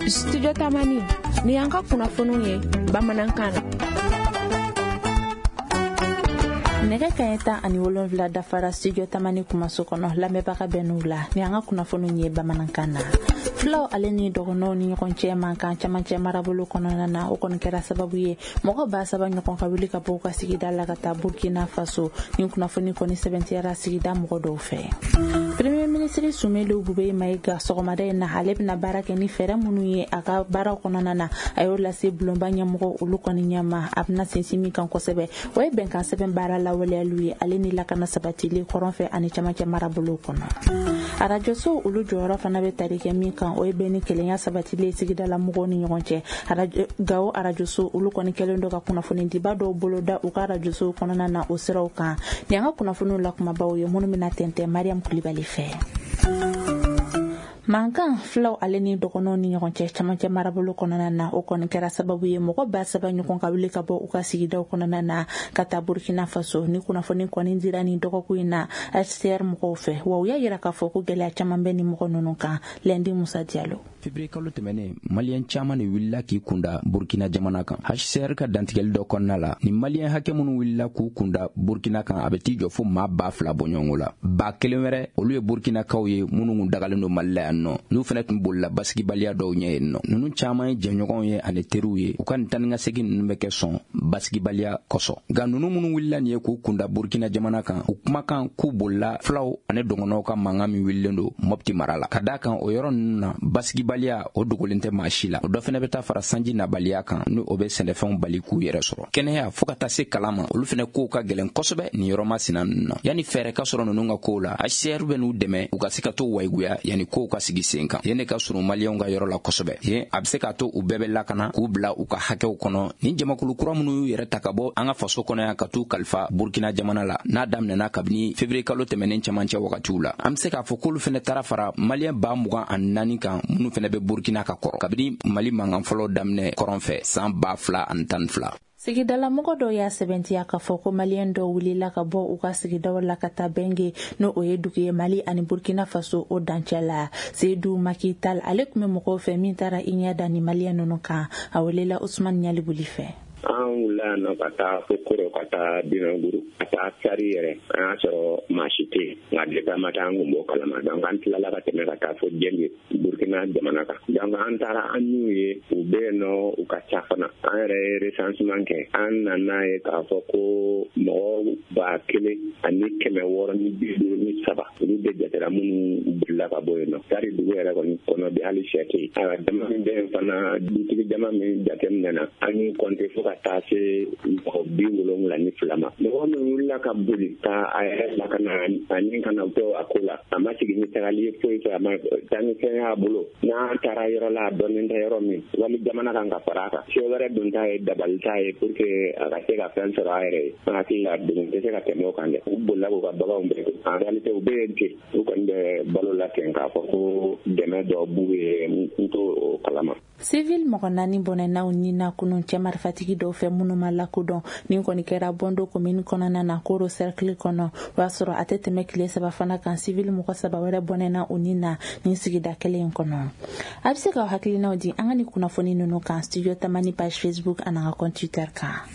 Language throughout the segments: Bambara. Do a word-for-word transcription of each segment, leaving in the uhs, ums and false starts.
Studio Tamani, ni y'an ka kunnafoniw ye bamanankan na. Nɛgɛ kaɲɛ tan ani wolonfila dafara Studio Tamani kumaso kɔnɔ, lamɛnbaga bɛ n'u la ni an ka kunnafoniw ye bamanankan na. Filaw ale ni dɔgɔnɔw ni ɲɔgɔn cɛ mankan camancɛ marabolo kɔnɔna na, o kɔni kɛra sababu ye mɔgɔ ba saba ɲɔgɔn ka wuli ka bɔ u ka sigida la ka taa Burkina Faso. Ni kunnafoni kɔni sɛbɛntiyara sigida mɔgɔ dɔw fɛ. Premier ministre Soumeylou Boubèye Maïga sɔgɔmada in na, ale bɛna baara kɛ ni fɛɛrɛ minnu ye a ka baaraw kɔnɔna na, a y'o lase bulonba ɲɛmɔgɔ olu kɔni ɲɛma. A bɛna sinsin min kan kosɛbɛ, o ye bɛnkan sɛbɛn baara lawaleyaliw ye ale ni lakana sabatili kɔrɔn fɛ ani camancɛ marabolo kɔnɔ. Arajoso olu jɔyɔrɔ fana bɛ tali kɛ min kan, o ye bɛn ni kelenya sabatili sigida la mɔgɔw ni ɲɔgɔn cɛ. Gawo arajoso olu kɔni kɛlen don ka kunnafonidiba dɔw boloda u ka arajoso kɔnɔna na o siraw kan. Ni an ka kunnafoniw la kumabaw ye minnu bɛna tɛntɛn Mariam Kulibali fɛ. Mankan filaw ale ni dɔgɔnɔw ni ɲɔgɔn cɛ camancɛ marabolo kɔnɔna na, o kɔni kɛra sababu ye mɔgɔ ba saba ɲɔgɔn ka wuli ka bɔ u ka sigidaw kɔnɔna na ka taa Burkina Faso. Ni kunnafoni kɔni dira ni dɔgɔkun in na H C R mɔgɔw fɛ, wa u y'a yira k'a fɔ ko gɛlɛya caman bɛ ni mɔgɔ ninnu kan. Lɛndi Musa Diallo. Février kalo tɛmɛnen, maliyɛn caman de wulila k'i kunda Burkina jamana kan. H C R ka dantigɛli dɔ kɔnɔna la, ni maliyɛn hakɛ minnu wulila k'u kunda Burkina kan, a bɛ t'i jɔ fo maa ba fila bɔɲɔgɔnko la. Ba kelen wɛrɛ, olu ye Burkinakaw ye minnu kun dagalen don Mali la yan nɔ, n'u fana tun bolila basigibaliya dɔw ɲɛ yen nɔ. Ninnu caman ye jɛɲɔgɔnw ye ani teriw ye. U ka nin taa ni ka segin ninnu bɛ kɛ sɔn basigibaliya kosɔn. Nka ninnu minnu wulila nin ye k'u kunda Burkina jamana kan, u kumakan k'u bolila filaw ani dɔgɔnɔw ka mankan min wulilen don Mopti mara la. Ka d'a kan o yɔrɔ ninnu na, basigibaliya o dogolen tɛ maa si la. O dɔ fana bɛ taa fara sanji nabaliya kan, ni o bɛ sɛnɛfɛnw bali k'u yɛrɛ sɔrɔ. Kɛnɛya fo ka taa se kalan ma, olu fana kow ka gɛlɛn kosɛbɛ nin yɔrɔ masina ninnu na. Yanni fɛɛrɛ ka sɔrɔ ninnu ka kow la, H C R bɛ n'u dɛmɛ u ka se ka to wayiguya yanni kow ka sigi sen kan. Yen de ka surun maliyɛnw ka yɔrɔ la kosɛbɛ. Yen a bɛ se k'a to u bɛɛ bɛ lakana k'u bila u ka hakɛw kɔnɔ. Ni jamakulu kura minnu y'u yɛrɛ ta ka bɔ an ka faso kɔnɔ yan ka t'u kalifa Burkina jamana la, n'a daminɛna kabini février kalo tɛmɛnen camancɛ wagatiw la, an bɛ se k'a fɔ k'olu fana taara fara maliyɛn ba mugan ani naani kan minnu fana bɛ Burkina ka kɔrɔ kabini Mali mankan fɔlɔ daminɛ kɔrɔn fɛ san ba fila ani tan ni fila. Sigidalamɔgɔ dɔw y'a sɛbɛntiya k'a fɔ ko maliyɛn dɔw wulila ka bɔ u ka sigidaw la ka taa Bɛnge, n'o o ye dugu ye Mali ani Burkina Faso o dancɛ la. Seydou Makital ale tun bɛ mɔgɔw fɛ min taara i ɲɛ da ni maliyɛn ninnu kan. A welela Usman Ɲalibuli fɛ. An wulila yan nɔ ka taa fo Koro, ka taa Binanguru, ka taa Sari yɛrɛ. An y'a sɔrɔ maa si tɛ yen, nka depuis an ma taa an kun b'o kalama. Donc an tilala ka tɛmɛ ka taa fo Jɛnge, Burkina jamana kan. Donc an taara an y'u ye, u bɛ yen nɔ, u ka ca fana. An yɛrɛ ye recensement kɛ, an nana ye k'a fɔ ko mɔgɔ ba kelen ani kɛmɛ wɔɔrɔ ni bi duuru ni saba, olu de jatera minnu bolila ka bɔ yen nɔ. Sari dugu yɛrɛ kɔni kɔnɔ bi hali sɛ tɛ yen. Ayiwa, jama min bɛ yen fana, dutigi jama min jateminɛna, an y'u compter fo ka taa se mɔgɔ bi wolonwula ni fila ma. Mɔgɔ min wulila ka boli ka a yɛrɛ lakana ani kana to a ko la, a ma sigi ni tagali ye foyi fɛ, a ma taa ni fɛn y'a bolo. N'a taara yɔrɔ la a dɔnnen tɛ yɔrɔ min, wali jamana kan ka fara a kan. Se wɛrɛ dun ta ye dabali ta ye pour que a ka se ka fɛn sɔrɔ a yɛrɛ ye. An hakili la degun tɛ se ka tɛmɛ o kan dɛ. U bolila k'u ka baganw bɛɛ to. En réalité u bɛ yen ten, u kɔni bɛ balo la ten k'a fɔ ko dɛmɛ dɔ b'u ye, n t'o kalama. Civil mɔgɔ naani bɔnɛnaw ni na kunun cɛ marifatigi dɔw fɛ minnu ma lakodɔn. Nin kɔni kɛra Bondo commune kɔnɔna na, Koro cercle kɔnɔ. O y'a sɔrɔ a tɛ tɛmɛ tile saba fana kan, civil mɔgɔ saba wɛrɛ bɔnɛna u ni na nin sigida kelen in kɔnɔ. A bɛ se k'aw hakilinaw di an ka nin kunnafoni ninnu kan Studio Tamani page Facebook ani an ka compte Twitter kan.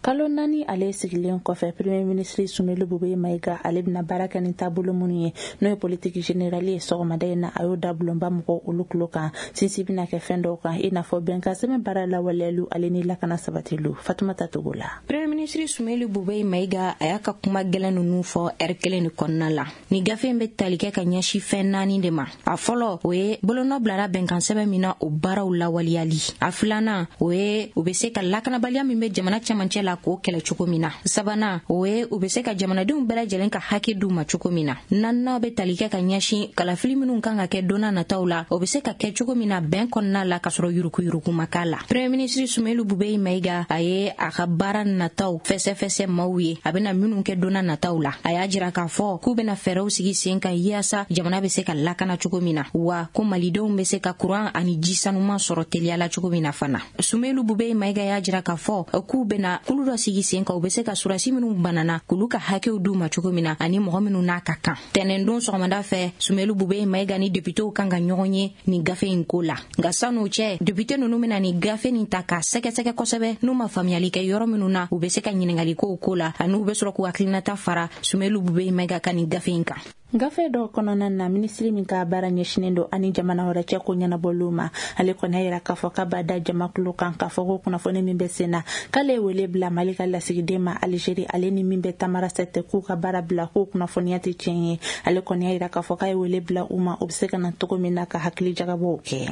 Kalo naani ale sigilen kɔfɛ, Premier ministre Soumeylou Boubèye Maïga ale bɛna baara kɛ ni taabolo minnu ye, n'o ye politique générale ye, sɔgɔmada in na a y'o da bulonba mɔgɔw olu tulo kan. Sinsin bɛna kɛ fɛn dɔw kan, i n'a fɔ bɛnkan sɛbɛn baara lawaleyaliw ale ni lakana sabatiliw. Fatumata Togo la. Premier ministre Soumeylou Boubèye Maïga a y'a ka kuma gɛlɛn ninnu fɔ ɛri kelen de kɔnɔna la. Ni gafe in bɛ tali kɛ ka ɲɛsin fɛn naani de ma. A fɔlɔ, o ye bolonɔ bilara bɛnkan sɛbɛn min na, o baaraw lawaleyali. A filanan, o ye u bɛ se ka lakanabaliya min bɛ jamana cɛmancɛ la k'o kɛlɛ cogo min na. Sabanan, o ye u bɛ se ka jamanadenw bɛɛ lajɛlen ka hakɛ d'u ma cogo min na. Naaninan bɛ tali kɛ ka ɲɛsin kalafili minnu kan ka kɛ don nataw la, o bɛ se ka kɛ cogo min na bɛn kɔnɔna la ka sɔrɔ yuruguyurugu ma k'a la. Premier ministre Soumeylou Boubèye Maïga a ye a ka baara nataw fɛsɛfɛsɛ maaw ye, a bɛna minnu kɛ don nataw la. A y'a jira k'a fɔ k'u bɛna fɛɛrɛw sigi sen kan yaasa jamana bɛ se ka lakana cogo min na, wa ko malidenw bɛ se ka kuran ani ji sanuman sɔrɔ teliya la cogo min na fana. Soumeylou Boubèye Maïga y'a jira k'a fɔ k'u bɛna kulu jamakulu dɔ sigi sen kan, u bɛ se ka surasi minnu banana k'olu ka hakɛw d'u ma cogo min na, ani mɔgɔ minnu n'a ka kan. Tɛnɛndon sɔgɔmada fɛ, Sumelu Bube Mayiga ni députéw kan ka ɲɔgɔn ye nin gafe in ko la. Nka san'o cɛ, député ninnu bɛna nin gafe nin ta k'a sɛgɛsɛgɛ kosɛbɛ, n'u ma faamuyali kɛ yɔrɔ minnu na, u bɛ se ka ɲininkali kow ko la, ani u bɛ sɔrɔ k'u hakilinata fara Sumelu Bube Mayiga ka nin gafe in kan. Gafe dɔw kɔnɔna na, minisiri min ka baara ɲɛsinnen don ani jamana wɛrɛ cɛ ko ɲɛnabɔliw ma, ale kɔni y'a yira k'a fɔ k'a b'a da jamakulu kan k'a fɔ ko kunnafoni min bɛ sen na, k'ale ye wele bila Mali ka lasigiden ma Alizeri, ale ni min bɛ Tamarasɛtɛ, k'u ka baara bila, k'o kunnafoniya tɛ tiɲɛ ye. Ale kɔni y'a yira k'a fɔ k'a ye wele bila u ma, u bɛ se ka na cogo min na ka hakili jagabɔw kɛ.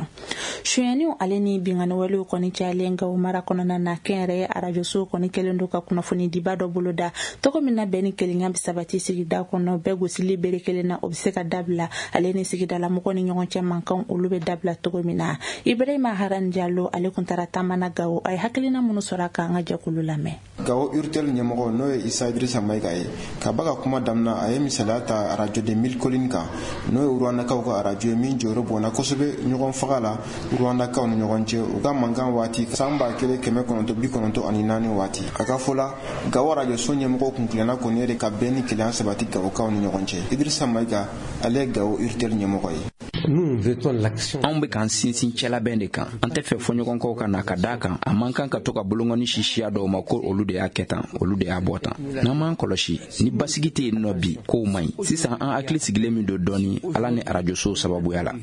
Sonyaniw ale ni binkanniwalew kɔni cayalen Gawo mara kɔnɔna na, kɛnyɛrɛye arajosow kɔni kɛlen don ka kunnafonidiba dɔ boloda cogo min na bɛn ni kelenya bɛ sabati sigida kɔnɔ, bɛɛ gosili bere kelen na, o bɛ se ka dabila, ale ni sigidalamɔgɔw ni ɲɔgɔn cɛ mankanw olu bɛ dabila cogo min na. Ibrahima Haran Jalo ale kun taara taama na Gawo, a ye hakilina minnu sɔrɔ a kan, an ka jɛkulu lamɛn. Gawo Urtel ɲɛmɔgɔ n'o ye Isa Idrissa Mayiga ye, ka ba ka kuma daminɛ, a ye misaliya ta arajo de Mille Collines kan, n'o ye Rwandakaw ka arajo ye min jɔyɔrɔ bonna kosɛbɛ ɲɔgɔn faga la Rwandakaw ni ɲɔgɔn cɛ u ka mankan waati san ba kelen kɛmɛ kɔnɔntɔn bi kɔnɔntɔn ani naani waati. A ka fɔ la, Gawo arajoso ɲɛmɔgɔw kun tilenna kɔni ye de ka bɛn ni kelenya sabati Gawokaw ni ɲɔgɔn cɛ. Idrissa Mayiga ale ye Gawo Urtel ɲɛmɔgɔ ye. Anw bɛ k'an sinsin cɛlabɛn de kan, an tɛ fɛ fɔɲɔgɔnkɔw ka na ka d'a kan a man kan ka to ka bolonkɔni si siya dɔw ma ko olu de y'a kɛ tan, olu de y'a bɔ tan. N'an m'an kɔlɔsi, ni basigi tɛ yen nɔ bi, kow man ɲi. Sisan an hakili sigilen min don dɔɔni Ala ni arajosow sababuya la.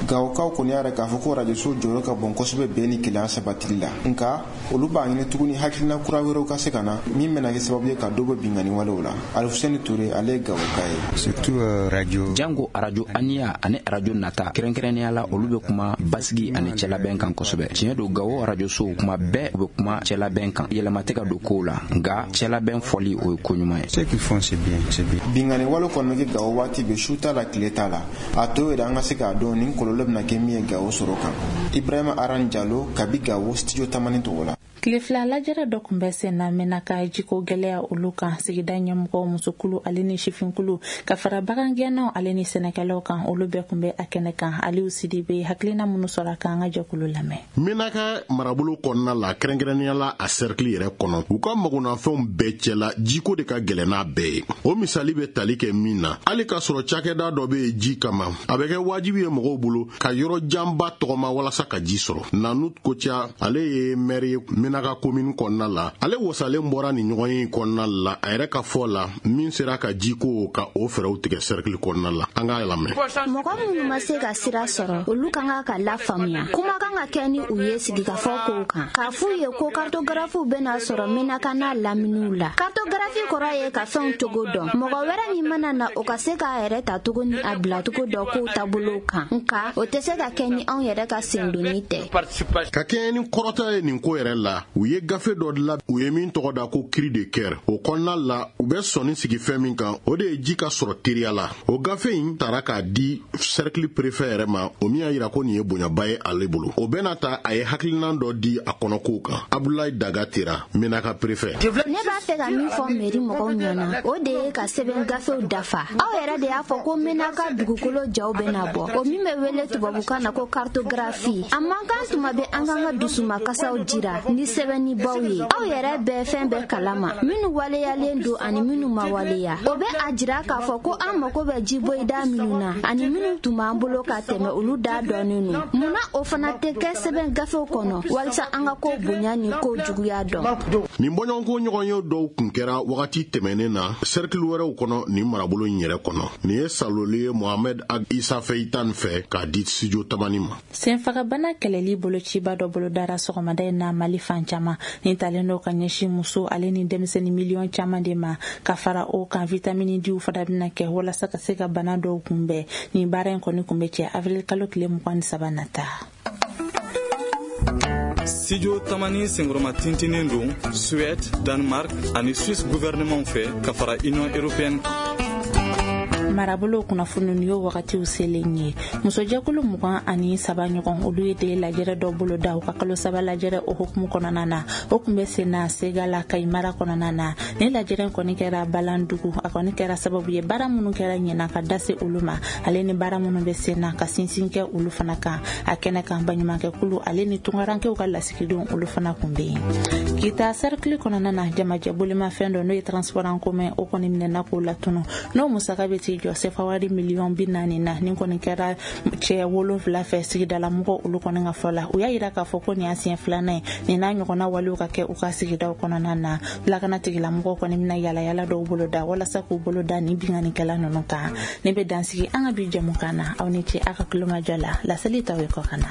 Gawokaw kɔni y'a yira k'a fɔ ko arajoso jɔyɔrɔ ka bon kosɛbɛ bɛn ni kelenya sabatili la, nka olu b'a ɲini tuguni hakilina kura wɛrɛw ka se ka na min bɛna kɛ sababu ye ka dɔ bɔ binkanni walew la. Alifuseni Ture ale ye Gawoka ye. Jango arajo aniya ani arajo nata, kɛrɛnkɛrɛnnenya la olu bɛ kuma basigi ani cɛlabɛn kan kosɛbɛ. Tiɲɛ don, Gawo arajosow kuma bɛɛ u bɛ kuma cɛlabɛn kan, yɛlɛma tɛ ka don kow la, nka cɛlabɛn fɔli o ye ko ɲuman ye. Binkanni wale kɔni bɛ kɛ Gawo waati bɛɛ, su t'a la tile t'a la. A to yɛrɛ an ka se k'a dɔn nin kɔlɔlɔ bɛna kɛ min ye Gawo sɔrɔ kan. Ibrahima Aran Jalo kabi Gawo studio Tamani tɔgɔ la. Tile fila lajɛrɛ dɔ tun bɛ sen na Menaka jiko gɛlɛya olu kan, sigida ɲɛmɔgɔw, musokulu ale ni sifinkulu ka fara bagangɛnnaw ale ni sɛnɛkɛlaw kan, olu bɛɛ tun bɛ a kɛnɛ kan. Aliou Sidibe hakilina minnu sɔrɔ a kan, an ka jɛkulu lamɛn. Menaka marabolo kɔnɔna la, kɛrɛnkɛrɛnnenya la a cercle yɛrɛ kɔnɔ, u ka magonafɛnw bɛɛ cɛla jiko de ka gɛlɛn n'a bɛɛ ye. O misali bɛ tali kɛ min na, hali k'a sɔrɔ cakɛda dɔ bɛ yen ji kama, a bɛ kɛ wajibi ye mɔgɔw bolo ka yɔrɔ janba tɔgɔma walasa ka ji sɔrɔ. Nanu Koca ale ye maire ye Menaka commune kɔnɔna la, ale wasalen bɔra nin ɲɔgɔn ye kɔnɔna la, a yɛrɛ ka fɔ la min sera ka jiko ka o fɛɛrɛw tigɛ cercle kɔnɔna la. An k'a lamɛn. Mɔgɔ minnu ma se ka sira sɔrɔ, olu kan ka ka lafaamuya. Kuma kan ka kɛ ni u ye sigikafɔ kow kan, k'a f'u ye ko kartogarafiw bɛna sɔrɔ Menaka n'a laminiw la. Kartogarafi kɔrɔ ye ka fɛnw cogo dɔn. Mɔgɔ wɛrɛ min mana na, o ka se k'a yɛrɛ ta cogo ni a bilacogo dɔn kow taabolow kan, nka o tɛ se ka kɛ ni anw yɛrɛ ka sendonni tɛ. Ka kɛɲɛ ni kɔrɔta ye nin ko yɛrɛ la, u ye gafe dɔ dilan u ye min tɔgɔ da ko cri de cœur. O kɔnɔna la, u bɛ sɔnni sigi fɛn min kan, o de ye ji ka sɔrɔ teriya la. O gafe in taara k'a di cercle préfet yɛrɛ ma, o min y'a yira ko nin ye bonyaba ye ale bolo. O bɛna ta a ye hakilinan dɔ di a kɔnɔkow kan. Abdoulaye Daga Tera, Menaka préfet. Ne b'a fɛ ka min fɔ mairie mɔgɔw ɲɛna, o de ye ka sɛbɛn gafew dafa. Aw yɛrɛ de y'a fɔ ko Menaka dugukolo jaw bɛna bɔ, o min bɛ wele tubabukan na ko cartographie. A man kan tuma bɛ an k'an ka dusumakasaw jira ni sɛbɛnnibaw ye. Aw yɛrɛ bɛɛ fɛn bɛɛ kalama, minnu waleyalen don ani minnu ma waleya. O bɛ a jira k'a fɔ ko an mago bɛ jiboyida minnu na ani minnu tun b'an bolo ka tɛmɛ, olu da dɔɔnin don. Munna o fana tɛ kɛ sɛbɛn gafew kɔnɔ walisa an ka ko bonya ni ko juguya dɔn? Nin bɔɲɔgɔnko ɲɔgɔn ye dɔw kun kɛra wagati tɛmɛnen na cercle wɛrɛw kɔnɔ nin marabolo in yɛrɛ kɔnɔ. Nin ye Saloli ye Mohamed Ag Issa Feitan fɛ k'a di studio Tamani ma. Senfagabana kɛlɛli bolociba dɔ bolodara sɔgɔmada in na Mali fan caman. Nin talen don ka ɲɛsin muso ale ni denmisɛnnin miliyɔn caman de ma, ka fara o kan vitamini D fana bɛna kɛ walasa ka se ka bana dɔw kunbɛn. Nin baara in kɔni kun bɛ cɛ avril kalo tile mugan ni saba nata. Studio Tamani senkɔrɔma tintinen don Suède, Danemark ani Suisse gouvernement fɛ ka fara Union européenne kan. Marabolo kunnafoni y'o wagatiw selen ye. Musojɛkulu mugan ani saba ɲɔgɔn, olu ye de lajɛrɛ dɔ boloda u ka kalo saba lajɛrɛ o hukumu kɔnɔna na. O tun bɛ sen na Segala Kayi mara kɔnɔna na. Ni lajɛrɛ kɔni kɛra Balandugu, a kɔni kɛra sababu ye baara minnu kɛra ɲinan ka da se olu ma, ale ni baara minnu bɛ sen na ka sinsin kɛ olu fana kan. A kɛnɛ kan, baɲumankɛkulu ale ni tunkarankew ka lasigidenw, olu fana kun bɛ yen. Kita cercle kɔnɔna na, jamajɛ bolimafɛn dɔ, n'o ye transport en commun, o kɔni minɛna k'o latunu, n'o musaka bɛ t'i jɔ sefa wari miliyɔn bi naani na. Nin kɔni kɛra cɛ wolonfila fɛ sigidala mɔgɔw olu kɔni ka fɔ la. U y'a yira k'a fɔ ko nin y'a siɲɛ filanan ye nin n'a ɲɔgɔnna walew ka kɛ u ka sigidaw kɔnɔna na. Lakana tigilamɔgɔw kɔni bɛna yalayala dɔw bolo da walasa k'u bolo da nin binkannikɛla ninnu kan. Ne bɛ dansigi an ka bi jɛmukan na. Aw ni ce aw ka kulomajɔ la. Laseli tɔw ye kɔ ka na.